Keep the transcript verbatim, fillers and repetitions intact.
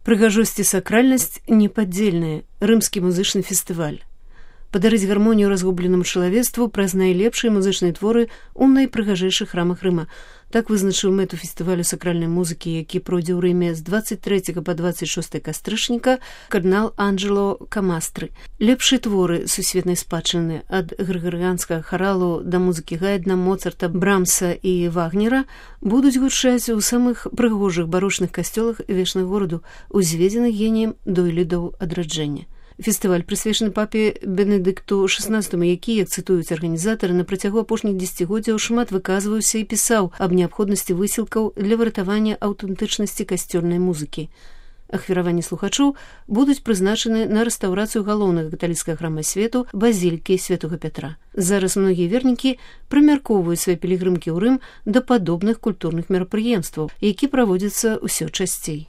Прыгажосць і сакральнасць непадзельныя. Рымскі музычны фестываль. Падарыць гармонію разгубленаму чалавецтву праз найлепшыя музычныя творы ў найпрыгажэйшых храмах Рыма. Так вызначыў мэту фестывалю сакральнай музыкі, які пройдзе ў Рыме з дваццаць трэцяга па дваццаць шостае кастрычніка кардынал Анджело Камастры. Лепшыя творы сусветнай спадчыны ад грыгарыянскага харалу да музыкі Гайдна, Моцарта, Брамса і Вагнера будуць гучаць у самых прыгожых барочных касцёлах вечных гораду, узведзеных геніем дойлідаў адраджэння. Фестываль прысвечаны папе Бенедыкту шаснаццатаму, які, як цытуюць арганізатары, на працягу апошніх дзесяцігоддзяў шмат выказваўся і пісаў аб неабходнасці высілкаў для выратавання аўтэнтычнасці касцёльнай музыкі. Ахвяраванні слухачоў будуць прызначаны на рэстаўрацыю галоўнага каталіцкага храма свету базілікі святога Пятра. Зараз многія вернікі прымяркоўваюць свае пілігрымкі ў Рым да падобных культурных мерапрыемстваў, які праводзяцца ўсё часцей.